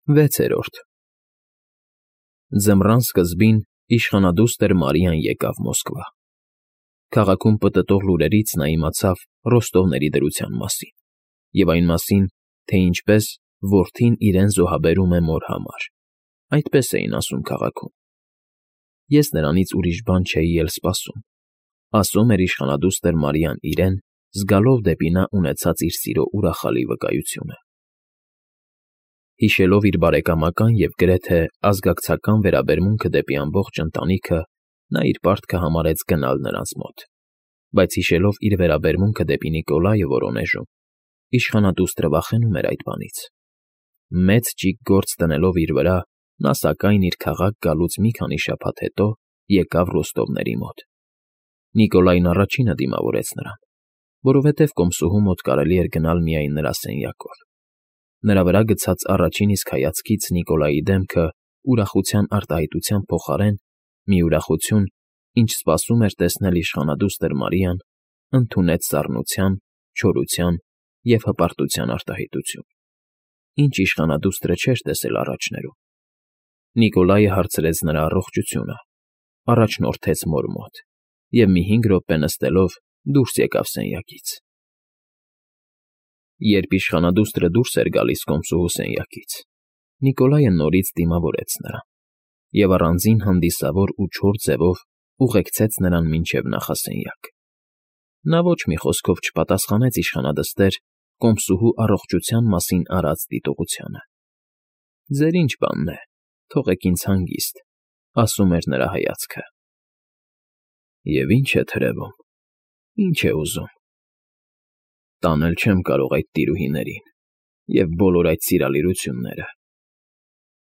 6-րդ Ձմռան սկզբին իշխանադուստր Մարիան եկավ Մոսկվա։ Քաղաքում պտտող լուրերից նա իմացավ ռոստովների դրության մասին և այն մասին, թե ինչպես որդին իրեն զոհաբերում է մոր համար, այդպես էին ասում քաղաքում։ Ես նրանից ուրիշ բան չէի էլ սպասում, ասում էր իշխանադուստր Մարիան իրեն, զգալով դեպի նա ունեցած իր սիրո ուրախալի վկայությունը։ Հիշելով իր բարեկամական և գրեթե ազգակցական վերաբերմունքը դեպի ամբողջ ընտանիքը, նա իր պարտքը համարեց գնալ նրանց մոտ, բայց հիշելով իր վերաբերմունքը դեպի Նիկոլայը Վորոնեժում, իշխանադուստրը վախենում էր այդ բանից։ Մեծ ճիգ գործ դնելով իր վրա, նա սակայն իր քաղաք գալուց մի քանի շաբաթ հետո եկավ Ռոստովների մոտ։ Նիկոլային առաջինը դիմավորեց նրան, որովհետև կոմսուհու մոտ կարելի էր գնալ միայն նրա սենյակով։ Նրա վրա գցած առաջին իսկ հայացքից Նիկոլայի դեմքը ուրախության արտահայտության փոխարեն մի ուրախություն, ինչ սպասում էր տեսնել իշխանադուստր Մարիան, ընդունեց սառնության, չորության և հպարտության արտահայտություն, ինչ իշխանադուստրը չէր տեսել առաջներում։ Նիկոլայը հարցրեց նրա առողջությունը, առաջնորդեց մոր մոտ և մի 5 րոպե նստելով դուրս եկավ սենյակից։ Երբ իշխանադուստրը դուրս էր գալիս կոմսուհու սենյակից, Նիկոլայը նորից դիմավորեց նրան և առանձին հանդիսավոր ու չոր ձևով ուղեկցեց նրան մինչև նախասենյակ։ Նա ոչ մի խոսքով չպատասխանեց իշխանադստեր կոմսուհու առողջության մասին արած դիտողությանը։ «Ձեր ինչ բանն է, թողեք ինձ հանգիստ», ասում էր նրա հայացքը։ «Եվ ինչ է թրևում, ինչ է ուզում։ Տանել չեմ կարող այդ տիրուհիներին և բոլոր այդ սիրալիրությունները»,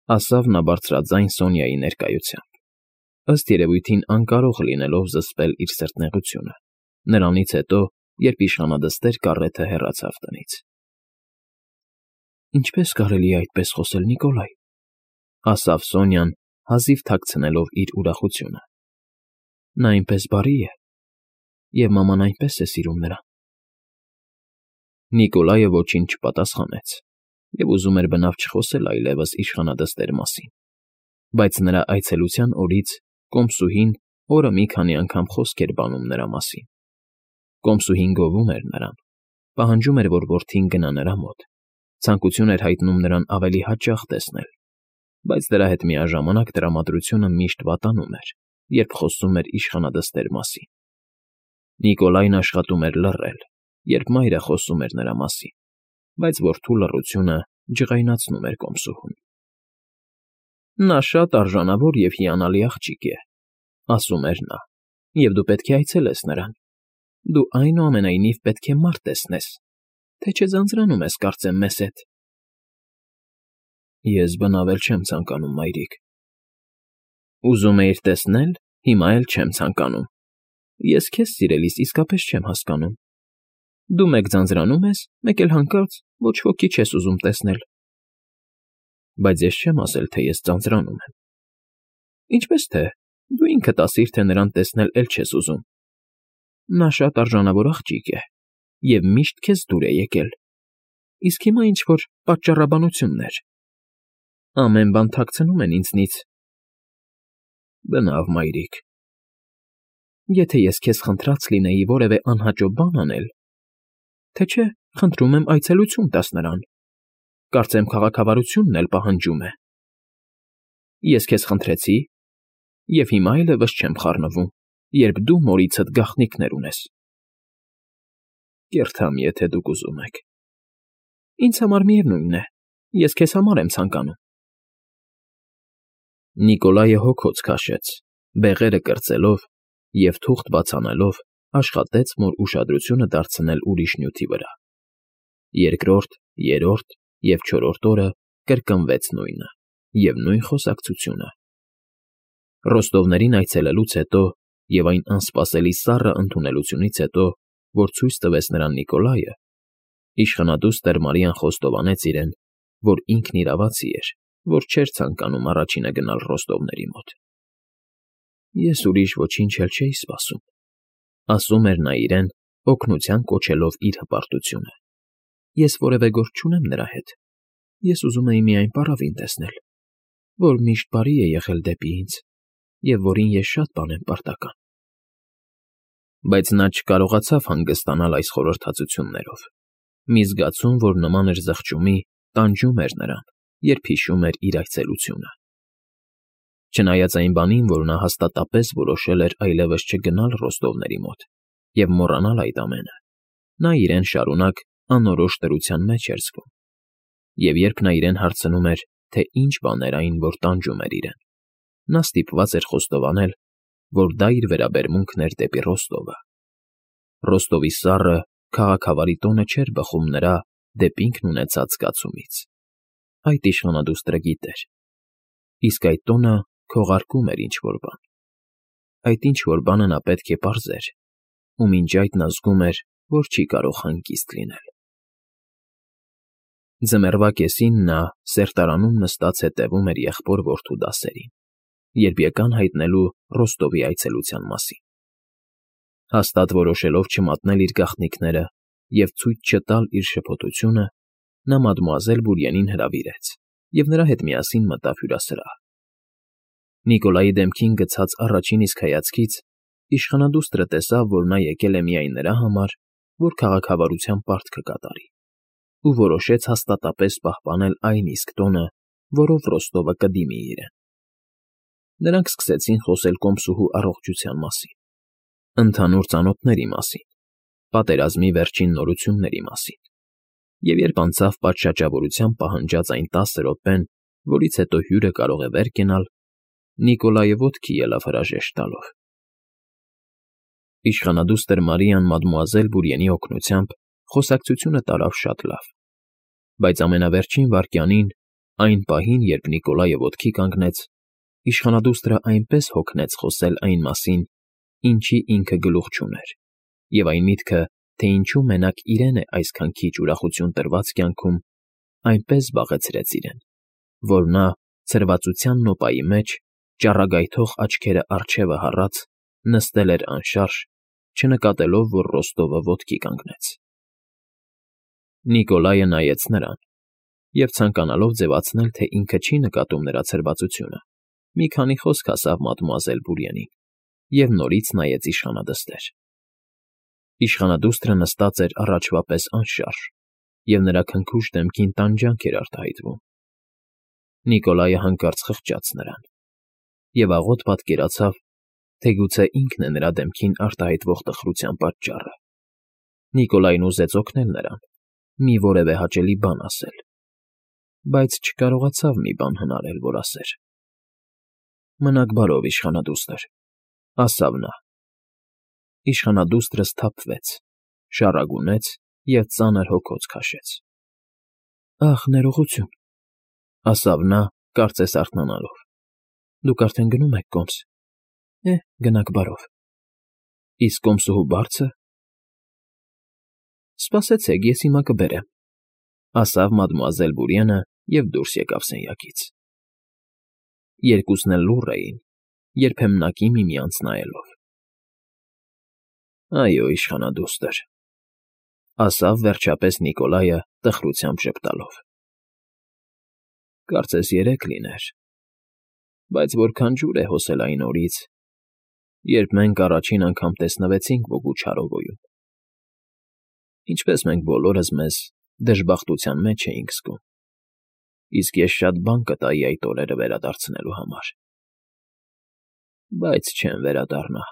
ասավ նա բարձրաձայն Սոնյայի ներկայությամբ, ըստ երևույթին անկարող լինելով զսպել իր սրտնեղությունը, նրանից հետո, երբ իշխանադստեր կառեթը հեռացավ տնից։ «Ինչպե՞ս կարելի է այդպես խոսել, Նիկոլայ», ասավ Սոնյան, հազիվ թաքցնելով իր ուրախությունը։ «Նա այնպես բարի է, և մաման այնպես է սիրում նրան»։ Նիկոլայը ոչինչ չպատասխանեց և ուզում էր բնավ չխոսել այլևս իշխանադստեր մասին, բայց նրա այցելության օրից կոմսուհին օրը մի քանի անգամ խոսք էր բանում նրա մասին։ Կոմսուհին գովում էր նրան, պահանջում էր, որ որդին գնա նրա մոտ, ցանկություն էր հայտնում նրան ավելի հաճախ տեսնել, բայց դրա հետ միաժամանակ տրամադրությունը միշտ վատանում էր, երբ խոսում էր իշխանադստեր մասին։ Նիկոլայն աշխատում էր լռել, երբ մայրը խոսում էր նրա մասին, բայց որդու լռությունը ջղայնացնում էր կոմսուհուն։ «Նա շատ արժանավոր և հիանալի աղջիկ է», ասում էր նա, «և դու պետք է այցելես նրան։ Դու այնուամենայնիվ պետք է մարդ տեսնես, թե չէ ձանձրանում ես, կարծեմ, մեզ հետ»։ «Ես բնավ էլ չեմ ցանկանում, մայրիկ»։ «Ուզում էիր տեսնել, հիմա էլ չեմ ցանկանում։ Ես քեզ սիրելիս իսկապես չեմ հասկանում։ Դու մեկ ձանձրանում ես, մեկ էլ հանկարծ ոչ ոքի չես ուզում տեսնել»։ «Բայց ես չեմ ասել, թե ես ձանձրանում եմ»։ «Ինչպես թե, դու ինքդ ասիր, թե նրան տեսնել էլ չես ուզում։ Նա շատ արժանավոր աղջիկ է և միշտ քեզ դուր է եկել, իսկ հիմա ինչ֊որ պատճառաբանություններ… Ամեն բան թաքցնում են ինձնից»։ «Բնավ, մայրիկ»։ «Եթե ես քեզ խնդրած լինեի որևէ անհաճո բան անել… Թե չէ, խնդրում եմ այցելություն տաս նրան, կարծեմ քաղաքավարությունն էլ պահանջում է… Ես քեզ խնդրեցի, և հիմա այլևս չեմ խառնվում, երբ դու մորիցդ գաղտնիքներ ունես»։ «Կերթամ, եթե դուք ուզում եք»։ «Ինձ համար միևնույն է, ես քեզ համար եմ ցանկանում»։ Նիկոլայը հոգոց քաշեց, բեղերը կրծելով և թուղթ բաց անելով աշխատեց մոր ուշադրությունը դարձնել ուրիշ նյութի վրա։ Երկրորդ, երրորդ և չորրորդ օրը կրկնվեց նույնը և նույն խոսակցությունը։ Ռոստովներին այցելելուց հետո և այն անսպասելի սառը ընդունելությունից հետո, որ ցույց տվեց նրան Նիկոլայը, իշխանադուստր Մարիան խոստովանեց իրեն, որ ինքն իրավացի էր, որ չէր ցանկանում առաջինը գնալ Ռոստովների մոտ։ «Ես ուրիշ ոչինչ էլ չէի սպասում», ասում էր նա իրեն, օգնության կոչելով իր հպարտությունը։ «Ես որևէ գործ չունեմ նրա հետ, Ես ուզում էի միայն պառավին տեսնել, որ միշտ բարի է եղել դեպի ինձ և որին ես շատ բան եմ պարտական։ Բայց նա չկարողացավ հանգստանալ այս խորհրդածություններով. մի զգացում, որ նման էր զղջումի, տանջում էր նրան, երբ հիշում էր իր այցելությունը։ Չնայած այն բանին, որ նա հաստատապես որոշել էր այլևս չգնալ Ռոստովների մոտ և մոռանալ այդ ամենը, նա իրեն շարունակ անորոշ դրության մեջ էր զգում։ Եվ երբ նա իրեն հարցնում էր, թե ինչ բան էր այն, որ տանջում էր իրեն, նա ստիպված էր խոստովանել, որ դա իր վերաբերմունքն էր դեպի Ռոստովը։ Ռոստովի սառը, քաղաքավարի տոնը չէր բխում նրա դեպ ինքն ունեցած զգացումից։ Այդ իշխանադուստրը գիտեր։ Իսկ այդ տոնը քողարկում էր ինչ-որ բան։ Այդ ինչ-որ բանը նա պետք է պարզեր, ու մինչ այդ նա զգում էր, որ չի կարող հանգիստ լինել։ Ձմեռվա կեսին նա սերտարանում նստած հետևում էր եղբոր֊որդու դասերին, երբ եկան հայտնելու Ռոստովի այցելության մասին։ Հաստատ որոշելով չմատնել իր գաղտնիքները և ցույց չտալ իր շփոթությունը, նա մադմուազել Բուրիենին հրավիրեց և նրա հետ միասին մտավ հյուրասրահ։ Նիկոլայի դեմքին գցած առաջին իսկ հայացքից իշխանադուստրը տեսավ, որ նա եկել է միայն նրա համար, որ քաղաքավարության պարտքը կատարի, ու որոշեց հաստատապես պահպանել այն իսկ տոնը, որով Ռոստովը կդիմի իրեն։ Նրանք սկսեցին խոսել կոմսուհու առողջության մասին, ընդհանուր ծանոթների մասին, պատերազմի վերջին նորությունների մասին, և երբ անցավ պատշաճավորությամբ պահանջած այն 10 րոպեն, որից հետո հյուրը կարող է վեր կենալ, Նիկոլայը ոտքի ելավ հրաժեշտ տալով։ Իշխանադուստր Մարիան մադմուազել Բուրիենի օգնությամբ խոսակցությունը տարավ շատ լավ, բայց ամենավերջին վայրկյանին, այն պահին, երբ Նիկոլայը ոտքի կանգնեց, իշխանադուստրը այնպես հոգնեց խոսել այն մասին, ինչի ինքը գլուխ չուներ, և այն միտքը, թե ինչու մենակ իրեն է այսքան քիչ ուրախություն տրված կյանքում, այնպես զբաղեցրեց իրեն, որ նա ցրվածության նոպայի մեջ, ճառագայթող աչքերը առջևը հառած, նստել էր անշարժ, չնկատելով, որ Ռոստովը ոտքի կանգնեց։ Նիկոլայը նայեց նրան և, ցանկանալով ձևացնել, թե ինքը չի նկատում նրա ցրվածությունը, մի քանի խոսք ասավ մադմուազել Բուրիենին և նորից նայեց իշխանադստեր։ Իշխանադուստրը նստած էր առաջվա պես անշարժ, և նրա քնքուշ դեմքին տանջանք էր արտահայտվում։ Նիկոլայը հանկարծ խղճաց նրան և աղոտ պատկերացավ, թե գուցե ինքն է նրա դեմքին արտահայտվող տխրության պատճառը։ Նիկոլայն ուզեց օգնել նրան, մի որևէ հաճելի բան ասել, բայց չկարողացավ մի բան հնարել, որ ասեր։ «Մնաք բարով, իշխանադուստր», ասավ նա։ Իշխանադուստրը սթափվեց, շառագունեց և ծանր հոգոց քաշեց։ «Ախ, ներողություն», ասավ նա, կարծես արթնանալով։ «Դուք արդեն գնում եք կոմս։ Գնաք բարով։ Իսկ կոմսուհու բարձը…» «Սպասեցեք, ես հիմա կբերեմ», ասավ մադմուազել Բուրիենը և դուրս եկավ սենյակից։ Երկուսն էլ լուռ էին, երբեմնակի միմյանց նայելով։ «Այո, իշխանադուստր», ասավ վերջապես Նիկոլայը տխրությամբ ժպտալով։ «Կարծես 3 լիներ, բայց որքան ջուր է հոսել այն օրից, երբ մենք առաջին անգամ տեսնվեցինք Բոգուչարովոյում։ Ինչպես մենք բոլորս մեզ դժբախտության մեջ էինք զգում, իսկ ես շատ բան կտայի այդ օրերը վերադարձնելու համար։ Բայց չեմ վերադառնա»։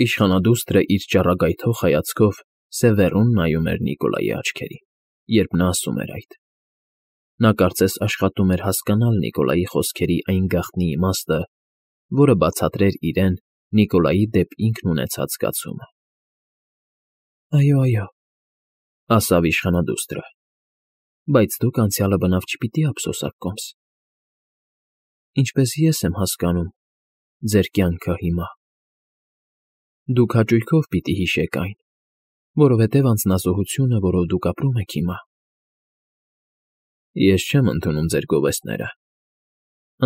Իշխանադուստրը իր ճառագայթող հայացքով սևեռուն նայում էր Նիկոլայի աչքերին, երբ նա ասում էր այդ։ Նա կարծես աշխատում էր հասկանալ Նիկոլայի խոսքերի այն գաղտնի իմաստը, որը բացատրեր իրեն Նիկոլայի դեպ ինքն ունեցած զգացումը։ «Այո, ասավ իշխանադուստրը, բայց դուք անցյալը բնավ չպիտի ափսոսաք, կոմս։ Ինչպես ես եմ հասկանում ձեր կյանքը հիմա։ Դուք հաճույքով պիտի հիշեք այն, որովհետև անձնազոհությունը, որով դուք ապրում եք հիմա… Ես չեմ ընդունում ձեր գովեստները»,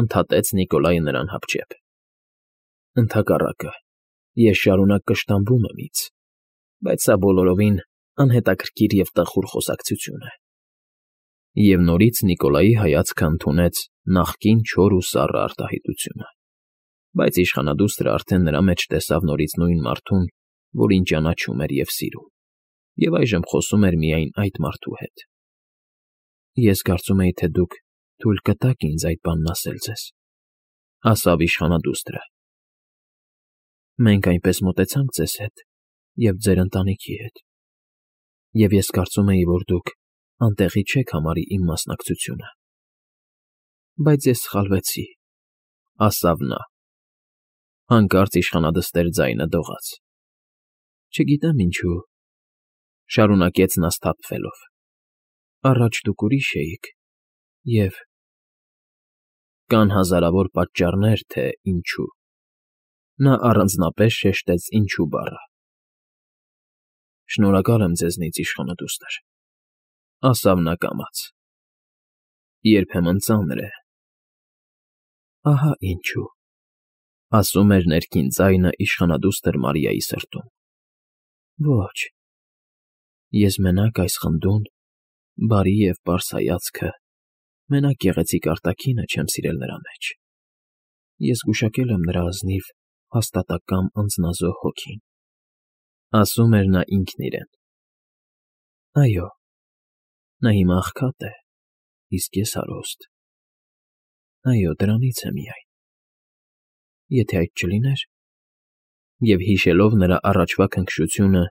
ընդհատեց Նիկոլայը նրան հապճեպ։ «Ընդհակառակը, ես շարունակ կշտամբում եմ ինձ, բայց սա բոլորովին անհետաքրքիր և տխուր խոսակցություն է։ Եվ նորից Նիկոլայի հայացքը ընդունեց նախկին չոր ու սառը արտահայտությունը, բայց իշխանադուստրը արդեն նրա մեջ տեսավ նորից նույն մարդուն, որին ճանաչում էր և սիրում, և այժմ խոսում էր միայն այդ մարդու հետ։ Ես կարծում էի, թե դուք թույլ կտաք ինձ այդ բանն ասել ձեզ, ասավ իշխանադուստրը։ Մենք այնպես մոտեցանք ձեզ հետ և ձեր ընտանիքի հետ, և ես կարծում էի, որ դուք անտեղի չեք համարի իմ մասնակցությունը։ Բայց ես սխալվեցի, ասավ նա։ Հանկարծ իշխանադստեր ձայնը դողաց։ Չգիտեմ ինչու, շարունակեց նա սթափվելով, առաջ դուք ուրիշ էիք, և… Կան հազարավոր պատճառներ, թե ինչու… Նա առանձնապես շեշտեց ինչու բառը։ Շնորհակալ եմ ձեզնից, իշխանադուստր, ասավ նա կամաց։ Երբեմն ծանր է։ Ահա ինչու, ասում էր ներքին ձայնը իշխանադուստր Մարիայի սրտում։ Ոչ, ես մենակ այս խնդուն, բարի և պարզ հայացքը, մենակ գեղեցիկ արտաքինը չեմ սիրել նրա մեջ։ Ես գուշակել եմ նրա ազնիվ, հաստատակամ անձնազոհ հոգին, ասում էր նա ինքն իրեն։ Այո, նա հիմա աղքատ է, իսկ ես հարուստ։ Այո, դրանից է միայն։ Եթե այդ չլիներ… Եվ հիշելով նրա առաջվա քնքշությունը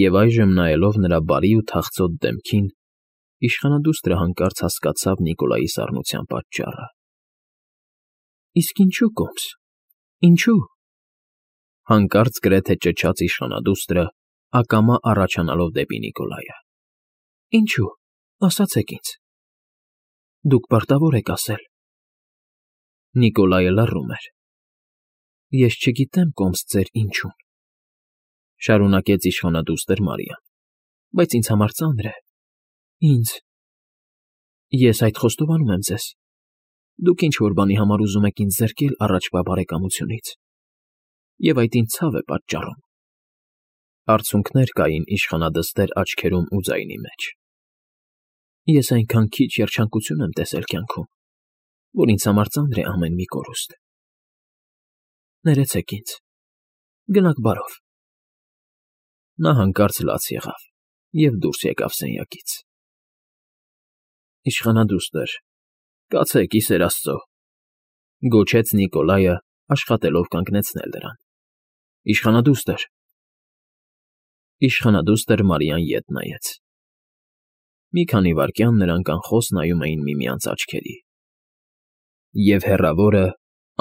և այժմ նայելով նրա բարի ու թախծոտ դեմքին, իշխանադուստրը հանկարծ հասկացավ Նիկոլայի սառնության պատճառը։ Իսկ ինչու կոմս… Ինչու… Հանկարծ գրեթե ճչաց իշխանադուստրը, ակամա առաջանալով դեպի Նիկոլայը։ Ինչու… Ասացեք ինձ… Դուք պարտավոր եք ասել… Նիկոլայը լռում էր։ Ես չգիտեմ կոմս ձեր ինչուն, շարունակեց իշխանադուստր Մարիան, բայց ինձ համար ծանր է… Ինձ… Ես այդ խոստովանում եմ ձեզ… Դուք ինչ֊որ բանի համար ուզում եք ինձ զրկել առաջվա բարեկամությունից, և այդ ինձ ցավ է պատճառում… Արցունքներ կային իշխանադստեր աչքերում ու ձայնի մեջ։ Ես այնքան քիչ երջանկություն եմ տեսել կյանքում, որ ինձ համար ծանր է ամեն մի կորուստ… Ներեցեք ինձ… Գնաք բարով… Նա հանկարծ լաց եղավ և դուրս եկավ սենյակից։ Իշխանադուստր, կացեք, ի սեր Աստծո…֊ գոչեց Նիկոլայը, աշխատելով կանգնեցնել նրան։ Իշխանադուստր… Իշխանադուստր Մարիան ետ նայեց։ Մի քանի վայրկյան նրանք անխոս նայում էին միմյանց աչքերի… Եվ հեռավորը,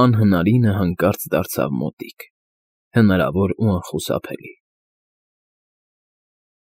անհնարինը հանկարծ դարձավ մոտիկ, հնարավոր ու անխուսափելի։